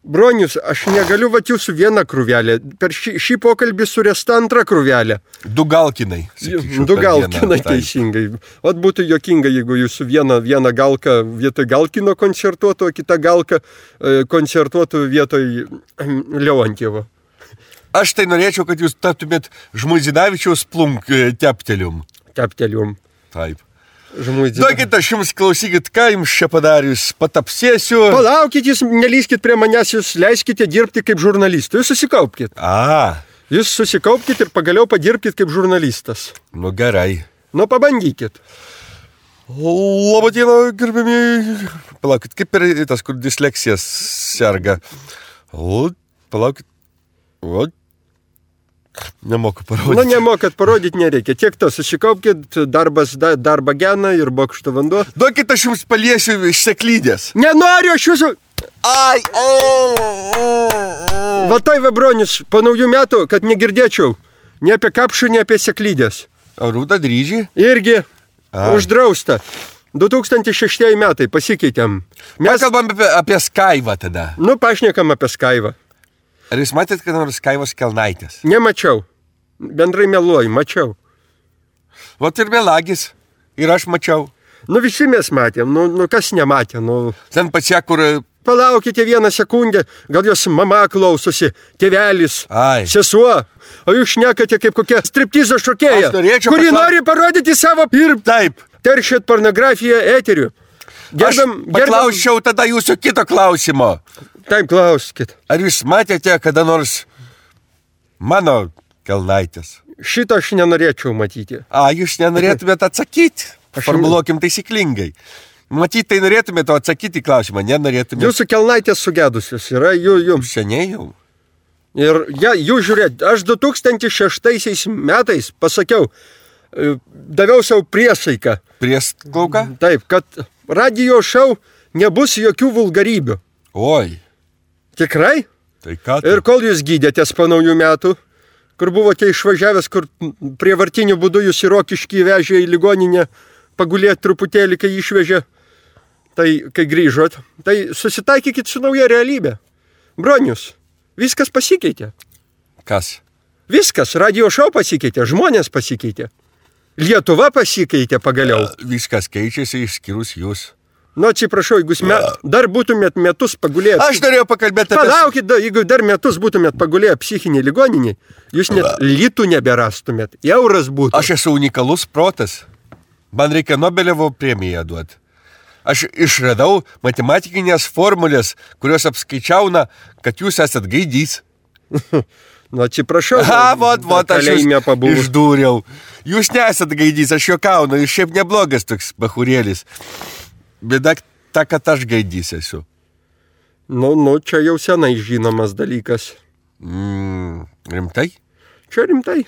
Bronius, aš negaliu vat jūsų vieną krūvelę. Per šį pokalbį suresta antrą krūvelę. Du galkinai. Du galkinai teisingai. Vat būtų jokinga, jeigu jūsų vieną galką vietoj galkino koncertuotų, o kitą galką koncertuotų vietoj Leontjevo. Aš tai norėčiau, kad jūs taptumėt Žmuidzinavičiaus plunk teptelium. Teptelium. Taip. Duokit, aš jums klausykit, ką jums čia padarius, patapsėsiu. Palaukit, jūs nelyskit prie manęs, jūs leiskite dirbti kaip žurnalistų. Jūs susikaupkit. Jūs susikaupkit ir pagaliau padirbkit kaip žurnalistas. Nu gerai. Nu pabandykit. Labadiena, gerbėmiai. Palaukit, kaip ir tas, kur disleksijas serga. Palaukit. Nemoku parodyti. Nu, nemokat parodyti nereikia. Tiek to, susikaupkit, darbą geną ir bokšto vanduo. Duokit, aš jums paliesiu iš seklydės. Nenoriu, aš jūsų... Ai! Va tai va, Bronius, po naujų metų, kad negirdėčiau. Ne apie kapšų, ne apie seklydės. O rūta dryžį? Irgi. Uždrausta. 2006 metai, pasikeitėm. Mes kalbam apie Skaivą tada. Nu, pašnekam apie Skaivą. Ar jūs matėt, kad nors Skaivos kelnaitės? Nemačiau. Bendrai meluoju, mačiau. Vat ir melagis. Ir aš mačiau. Nu, visi mes matėm. Nu kas nematė? Nu... Ten pačia, kur... Palaukite vieną sekundę. Gal jos mama klausosi, tėvelis, sesuo. O jūs šnekate kaip kokia striptizo šokėja, kuri nori parodyti savo ir taip. Teršėt pornografiją eteriu. Paklausčiau tada jūsų kito klausimo. Taip, klauskit. Ar jūs matėte kada nors mano kelnaitės? Šito aš nenorėčiau matyti. Jūs nenorėtumėte atsakyti? Formuluokim taisyklingai. Matyti, tai norėtumėte atsakyti klausimą, nenorėtumėte. Jūsų kelnaitės sugedusios yra jums. Seniai jau. Ir jūs žiūrėt, aš 2006 metais pasakiau, daviau savo priesaiką. Priesklauką? Taip, kad radijo šou nebus jokių vulgarybių. Oi. Tikrai? Tai ką? Ir kol jūs gydėtės po naujų metų, kur buvote išvažiavęs, kur prievartiniu būdu jūs į Rokiškį vežė į ligoninę, pagulėt truputėlį, kai išvežė, tai kai grįžot, tai susitaikykit su nauja realybė. Bronius, viskas pasikeitė. Kas? Viskas, radio šou pasikeitė, žmonės pasikeitė. Lietuva pasikeitė pagaliau. Viskas keičiasi išskyrus jūs. Nu, atsiprašau, jeigu dar būtumėt metus pagulėję... Aš norėjau pakalbėti apie... Palaukit, jeigu dar metus būtumėt pagulėję psichinį ligoninį, jūs net litų neberastumėt, euras būtų. Aš esu unikalus protas. Man reikia Nobeliovo premiją duoti. Aš išradau matematikinės formulės, kurios apskaičiauna, kad jūs esat gaidys. Nu, atsiprašau. Vot, aš jūs išdūriau. Jūs nesat gaidys, aš juokaunu, jūs šiaip neblogas toks bachurėlis. Bėda ta, kad aš gaidys esu. Nu, čia jau senai žinomas dalykas. Rimtai? Čia rimtai.